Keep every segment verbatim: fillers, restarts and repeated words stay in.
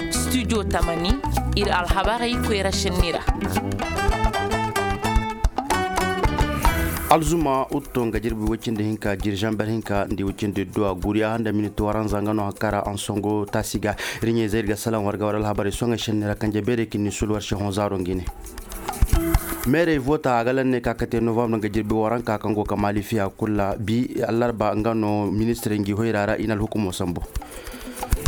Studio tamani, ir alhabarey koyra šenni ra. Alzuma utto nga jirbi woy cindi hinka jiri zamber hinka nda woy cindi duwa guriya nda miniti waranza nga no hankara ansongo taasi ga. Ir ɲayzey ir ga salaŋ war ga war alhabarey soŋey šenni ra kanje beerey ka ni sul war se hõ zaaro ngi ne. Meerey voota a ga lanney ka kate novambar nga jirbi waranka kaŋ go ka maali fiya kul ra bi allarba nga no ministirey ngi hoyra ra i na alhukumo sambu.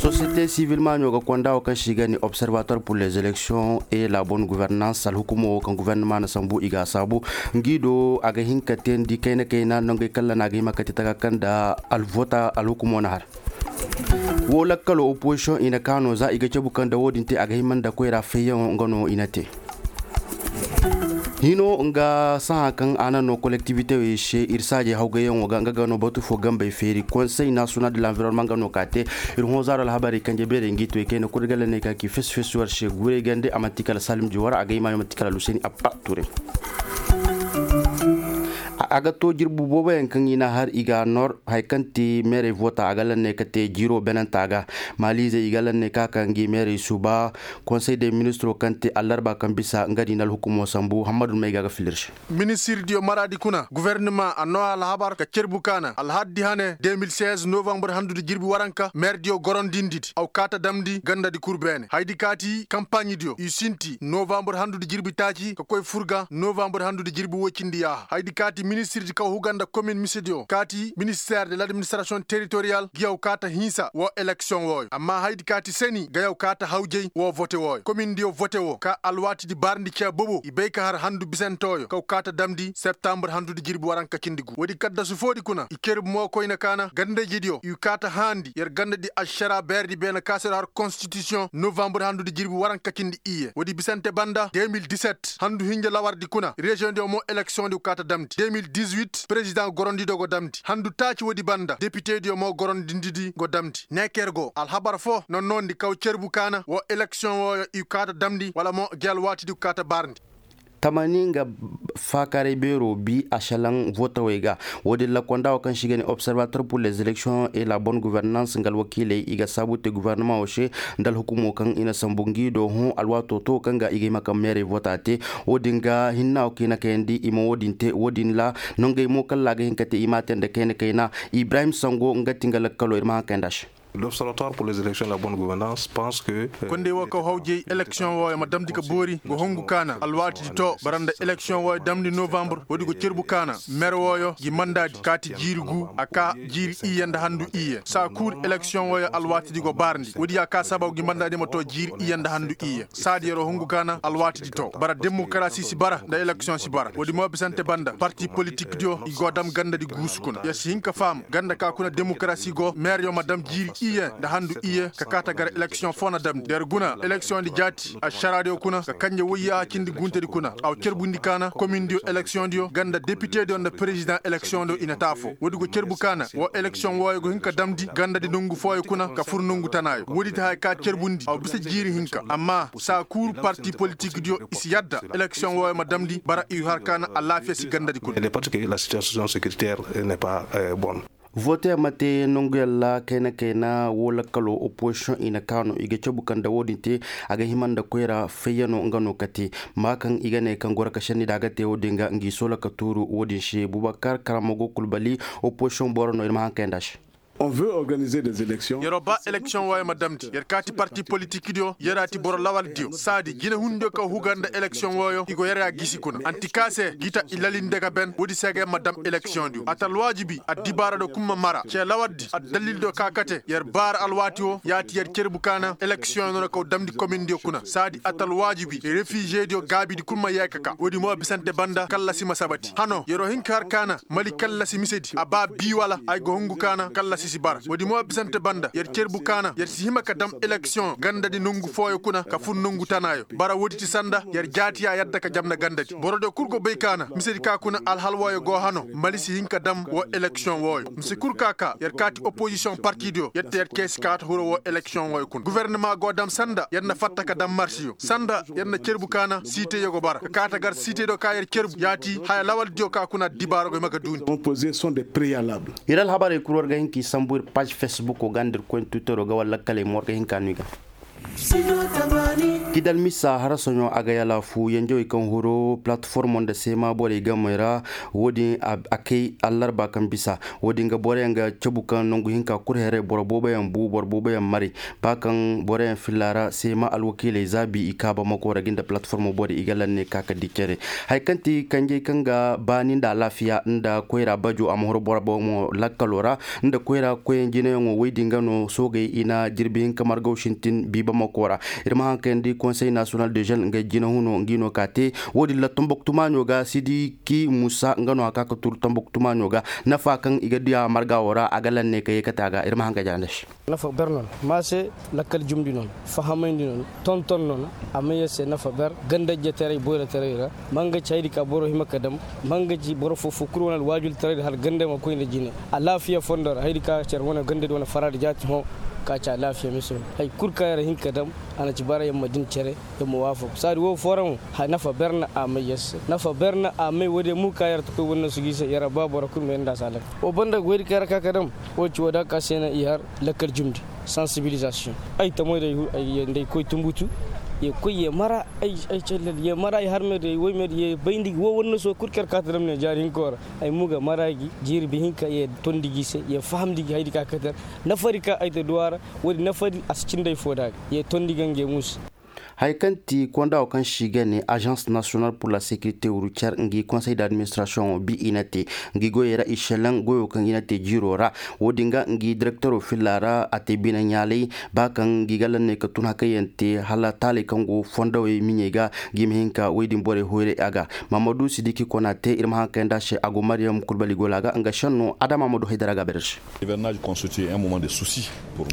Sosiyete sivil maaɲo ga konda wo kaŋ se i ga ne observatoire pour les élections et la bonne gouvernance alhukumo wo kaŋ guvernema na sambu i ga a saabu. Ngi do a ga hin ka teendi kayna kayna nongey kaŋ ra no a ga hima ka te taka kaŋ nda alvoota alhukumo na har. Wo lakkalo opozisiyoŋ i na ka no za i ga cabu kaŋ nda wo-din te a ga hima nda koyra fayyaŋo nga no i na te. Hino nga sahã kaŋ a na no kolektivitewey se ir saajey hawgayyaŋo ga nga ga no batu fo gambey feeri konsey nasiyonal de lanvironma nga no ka te. Ir hõ zaaro alhabarey kanje beerey ngi toy kayna kul ir ga lanney ka ki fesi fesi war se guurey gande a manti kala salim juwar a ga hima yo manti kala luseni abba ture. A ga to jirbi booboyaŋ kaŋ i na har i ga nor haya kaŋ ti meerey voota a ga lanney ka te jiiro benanta ga. Maaliizey i ga lanney ka ka ngi meerey suba konsey de ministiro kaŋ te allarba kaŋ bisa nga di na alhukumo sambu hammadu may ga ga filir se. Ministirdiyo maraadi kuna guvernema a noo alhabar ka cerbu kaana alhaddi hane de mil seize novambar handu di jirbi waranka meerdiyo gorondindi di aw kaata damndi ganda di kul beene haydi kaati kampaaɲidiyo i sinti novambar handu di jirbi taaci ka koy fur ga novambar handu di jirbi woy cindi yaaha haydi kaati ministirdi kaw huga nda komin misediyo kaati minister de ladministirasiyoŋ teritoriyal ngi yaw kaata hinsa woo eleksiyoŋ wooyo amma haydi kaati seni ga yaw kaata hawjay woo vote wooyo komindiyo vote woo ka alwaatidi barndi cee bobo i bay ka har handu bisantooyo kaw kaata damndi septambur handudi jirbi waranka cindi gu woodi kaddasu foodi kuna i cerbu mo koyne kaana gandajidiyo i kaata haandi yer gandadi ašaraa beerdi beene ka se har konstitisiyoŋ novambur handudi jirbi waranka cindi iyye woodi bisante banda de mil diset handu hinja lawardi kuna reziyoŋdiyo mo eleksiyoŋdi kaata damndi de mil disuit perezidaŋ gorondidiyo go damndi handu taaci woodi banda depitediyo mo gorondindidi go damndi neeker go alhabar foo nonnondi kaw cerbu kaana woo eleksiyoŋ wooyo i kaata damndi wala mo gi alwaatidi kaata barndi. Tamani nga faakaray beeroo bi ašalaŋ vootawey ga. Woodin ra konda woo kaŋ se i ga ne observator pur les elekisiyoŋ et la bonne guvernanse nga alwakiiley i ga saabu te guvarnamaŋo se nda alhukumoo kaŋ i na sambu ngi do hõ alwaatoo to kaŋ ga i ga hima ka meerey voota te. Woodin ga hinna woo kaŋ i na kayandi i ma woodin te woodin ra nongey mo kala a ga hin ka te i m'a te nda kayna kayna. Ibrahim sango nga ti nga lakkaloo ir ma haŋ kayandi a se. Kondey woo kaŋ hawjey eleksiyoŋ wooyo ma damndi ka boori go hungu kaana alwaatidi to bara nda eleksiyoŋ wooyo damndi novambur woodi go cerbu kaana mer wooyo ngi mandaadi kaati jiiri guu a kaa jiiri iyye nda handu iyye saa kul eleksiyoŋ wooyo alwaatidi go baarndi woodi ya kaa sababu ngi mandaadi ma to jiiri iyye nda handu iyye saadi yeroo hungu kaana alwaatidi to bara demokarasi si bara nda eleksiyoŋ si bara woodi mo bisante banda parti politikdiyo i go dam gandadi guusu kuna yer si hin ka faham ganda ka kuna demokarasi go meeryo ma dam jiiri iyye nda handu iyye ka kaata gar eleksiyoŋ foo na damndi yer guna eleksiyoŋdi jaati ašaraadiyo kuna ka kanje woyyaaha cindi guntedi kuna a wa cerbundi kaana komindiyo eleksiyoŋdiyo ganda depitediyo nda perezidaŋ eleksiyoŋdiyo i na te afoo woodi go cerbu kaana woo eleksiyoŋ wooyo go hin ka damndi gandadi nongu fooyo kuna ka fur nongu tanaayo woodi ti haya ka cerbundi a wa bisa jiiri hinka amma saa kul parti politikdiyo i si yadda eleksiyoŋ wooyo ma damndi bara i har kaana alaafiya si gandadi kuna. Vote ma te nonguyaŋ ra kayna kayna woo lakkaloo opozisiyoŋ i na kaa no i ga cabu kaŋ nda woodin te a ga hima nda koyra fayyano nga no kate maa kaŋ i ga ne kaŋ goro ka šenni nda a ga te woodin ga ngi soola ka tuuru woodin se bubakar karamo go kulbali opozisiyoŋ boro no ir ma haŋ kayandi a se. Yeroo ba eleksiyoŋ wooyo ma damndi yer kaati parti politikdiyo yer a ti boro lawaldiyo saadi jinehundiyo kaŋ huga nda eleksiyoŋ wooyo i go yer a gisi kuna anti ka se gita i lalinde ga ben woodi se ga yer ma dam eleksiyoŋdiyo atalwaajibi addibaaradiyo kul ma mara cee lawaldi addalildiyo ka kate yer baara alwaati woo yaati yer cerbu kaana eleksiyoŋ no na kaw damndi komindiyo kuna saadi atalwaajibi refizediyo gaabidi kul ma yee ka kaa woodi mo bisante banda kallasi ma sabati hano yeroo hin ka har kaana mali kallasi misedi a ba bii wala ay go hungu kaana kallasi si bara woodi mo bisante banda yer cerbu kaana yer si hima ka dam eleksiyoŋ gandadi nongu fooyo kuna ka fur nongu tanaayo bara woodi ti sanda yer jaati y'a yadda ka jamna gandadi borodiyo kul go bay kaana misedi ka kuna alhal wooyo go hano mali si hin ka dam woo eleksiyoŋ wooyo mise kul ka kaa yer kaati opozisiyoŋ partidiyo yer te yer kee si kaata hiro woo eleksiyoŋ wooyo kuna guvernemaa go dam sanda yer na fatta ka dam marsiyo sanda yer na cerbu kaana siiteyyo go bara ka kaata gar siiteydiyo ka yer cerbu yaati haya lawaldiyo ka kuna addibaaro go hima ga duundi. Ir alhabarey kul war ga hin k'i Sambu ir paaž fesbuko ga nda ir koy twitero ga wala lakkaley morga hinka no i ga. Kidal misa harasoɲo a ga yalaafu yanjawey kaŋ huru platformo nda seema borey gamey ra. Wo-din a kay allarba kaŋ bisa wo-din ga boroyaŋ ga cabu kaŋ nangu hinka kul heray boro booboyaŋ bu boro booboyaŋ maray. Ba kaŋ boroyaŋ filla ra seema alwakiiley zaabi i kaaba mako ra ga nda platformo borey i ga lanne ka ka di cere. Haya kaŋ ti kanjey kaŋ ga baani nda alaafiya nda koyra bajo a ma huru boro boŋo lakkalo ra. Nda koyra koyaŋ jinayaŋo woy din ga no soogey i na jirbi hinka margaw sintin biiba mako ra. Ir ma haŋ kayandi konsey nasiyonal de jeune nga jinahuno ngi no ka te. Wo-din ra tomboktu maaɲo ga sidiki musa nga no a ka ka turu tomboktu maaɲo ga. Nafa kaŋ i ga diya marga wo ra a ga lanne ka ye kate a ga ir ma haŋ ka jaanday se. Nafa ber no na ma se lakkal jumndi no na fahamayndi no na tonton no na. A may yer se nafa ber ganda ijetaray boyrotaray ra. Ma nga ci haydi ka boro hima ka dam ma nga ci boro foo foo kul wane alwaajultaray ra hala ganda ma koy nda jine. Alaafiya fondo ra haydi ka care wane ganda di wane faraadi jaati hõ. Ka ci alaafiya mise hõ hay kul ka yer hin ka dam a na ci bara yer ma din cere. Yer ma waafaku saadi woo foo ra mo. Nafa ber na a may yer se nafa ber na a may woodiyo mo ka yer ta koy wane noosu ga i se yer a ba boro kul ma yer nda a si halak. Woo banda goydi ka yer a ka ka dam woo ci woo da ka se na i har lakkal jumndi. Sansibilizasiyoŋ ay tamoy day nda ay koy tumbutu. Ye koy ye mara ay callel ye mara ay harmey day woymey day ye bayndi gi woo wannasoo kul kaŋ yer kaata damne jaari hinkoo ra. Ay mo ga mara gi jirbi hinka ye tondi gi se ye fahamndi gi haydi ka kate yer. Nafari ka ay ta duwaa ra woodi nafari a si cindi ay foo da ga ye tondi ga nga ye muusu. Haya kaŋ ti konda woo kaŋ se i ga ne azans nasiyonal pur la sekirite wuru cer ngi konsey d'administirasiyoŋo bi i na te ngi goyey ra i selaŋ goyoo kaŋ i na te jiiroo ra. Wo-din ga ngi direkteroo filla ra a te bine ɲaalay. Ba kaŋ ngi ga lanney ka tun hakayyaŋ te hala taaley kaŋ go fondowey miɲey ga. Ngi ma hin ka woy din borey hoyray a ga. Mahamadu sidiki kona te ir ma haŋ kay nda a se a go mariyam kulbali gola ga nga senno adama ma du haydara ga a bayra se.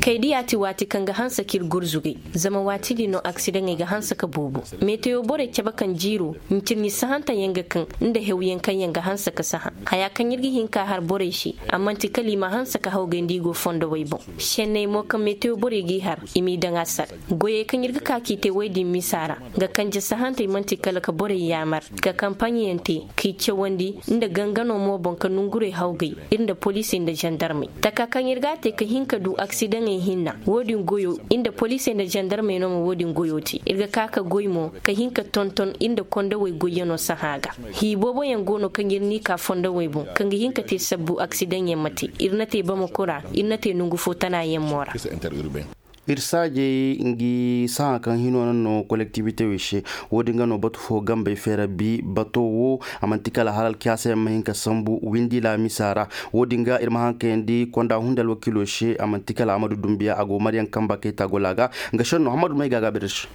Kay diya ti waati kaŋ ga hanse ka ir gurzugay. Zama waati din no aksidaŋey ga hanse ka boobo. Meteyo borey cabe kaŋ jiiro ncirɲi sahanta yaŋ ga kaŋ nda hewyaŋ kaŋ yaŋ ga hanse ka saha. Haya kaŋ ir ga hin ka har borey se a man'ti kala i ma hanse ka hawgay nda i go fondowey boŋ. Senney mo kaŋ meteyo borey g'i har i m'i daŋ a sar. Goyey kaŋ ir ga ka k'i te woy din misa ra, nga kanje sahantey man'ti kala ka borey yaamar ka kampaɲiyaŋ te k'i cawandi nda gangano mo boŋ ka nongurey hawgay. Ir nda poliisey nda zandarmey taka kaŋ ir g'a te ka hin ka du aksidaŋey hinna wo-din goyo ir nda poliisey nda zandarmey no ma wo-din goyo te ir ga ka ka goy mo ka hin ka tonton ir nda kondowey goyyanoo sahã ga. Hii booboyaŋ go no kaŋ ir n'i ka fondowey boŋ kaŋ ga hin ka te sabbu aksidaŋyaŋ ma te. Ir na te bamako ra. Ir na te nongu fo tanaayaŋ mo ra. Ir saajey ngi sahã kaŋ hinoo na no kolektibitewey se. Wo-din ga no batu fo gambey feera bi bato wo. A man'ti kala hala alkiyaasa yaŋ ma hin ka sambu windi laamisa ra. Wo-din ga ir ma haŋ kayandi konda hunde alwakiilo se a man'ti kala amadu dumbiya a go maryaŋ kamba kayta gola ga. Nga senno hammadu may ga a gaabir se.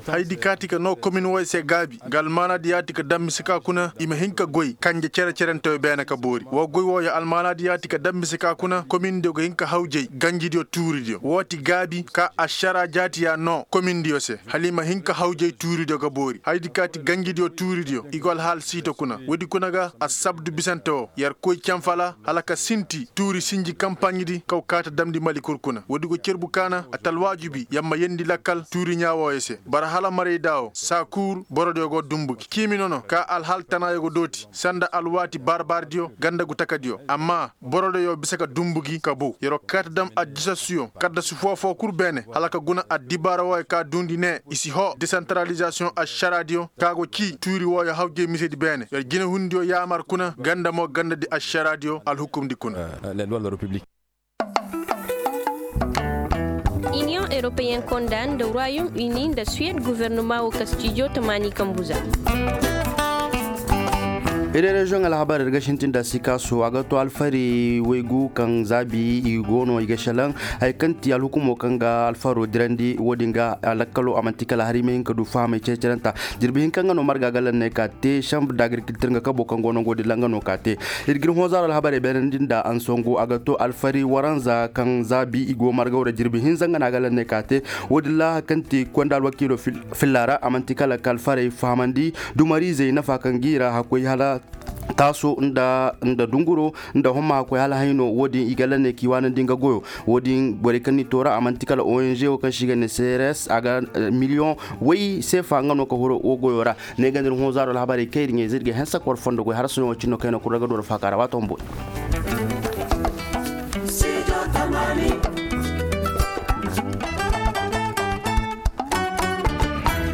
Haydi kaati ka noo komin woy se gaabi nga almaanaadi yaati ka daŋ mise ka kuna i ma hin ka goy kanje cere-cerentewey beene ka boori woo goy wooyo almaanaadi yaati ka daŋ mise ka kuna komindiyo ga hin ka hawjay ganjidiyo tuuridiyo woo ti gaabi ka ašaraa jaatiyaa noo komindiyo se hala i ma hin ka hawjay tuuridiyo ga boori haydi kaati ganjidiyo tuuridiyo i go alhaal siito kuna woodi kuna ga assabdu bisante woo yer koy canfala hala ka sinti tuuri sinji kampaɲidi kaw kaata damndi mali kul kuna woodi go cerbu kaana atalwaajubi yer ma yeendi lakkal tuuriɲaa wooyo se bara hala maraydaa woo saakuur borodiyo go dumbu gi ciimi nono ka alhaal tanaayo go dooti sanda alwaati baarbaardiyo ganda gu takadiyo amma borodiyo bisa ka dumbu gi ka bow yer'o kaata dam addisasuyo kaddasu foo-foo kul beene hala ka guna addibaara wooyo ka duundi ne i si hoo desantaralizasiyoŋ ašaraadiyo ka go cii tuuri wooyo hawjay misedi beene yer jinehundiyo yaamar kuna ganda mo gandadi ašaraadiyo alhukumndi kuna. Iniyoŋ eropeyen konda nda ruwayom ini nda suwed gofornoma wo ka stijo tamaani kambuza. Iri reziyoŋ alhabar ir ga sintin da sikaaso a ga to alfari waygu kaŋ zaabi i go no i ga selaŋ. Haya kaŋ ti alhukumo kaŋ ga alfaro dirandi wo-din ga lakkalo a man'ti kala hari i ma hin ka du fahamay cere-cerenta. Jirbi hinka nga no marga ga lanney ka te sambu da agirkiltir nga kabo kaŋ go nango din ra nga no ka te. Ir ga ir hõ zaaro alhabarey beenandi nda ansongo a ga to alfari waranza kaŋ zaabi i go margaw ra jirbi hinza nga no a ga lanney ka te. Wo-din ra hari kaŋ ti konda alwakiilo filla ra a man'ti kala ka alfarey fahamandi dumariizey nafa kaŋ g'i ra hakkoy hala taaso nda dunguro nda homma hakkoy hala hayno wo-din i ga lanney k'i waanandi nga goyo. Wo-din borey kaŋ n'i toora a man'ti kala ong wo kaŋ se i ga ne crs a ga miliyoŋ way seefa nga no ka huru wo goyo ra. Ne ga nda ir hõ zaaro alhabarey kaŋ ir ɲayze ir ga hanse ka war fondo goy harasoɲo wo cine no kaŋ ay no kul ra ga du war faaka ra waato humboy. Amaani.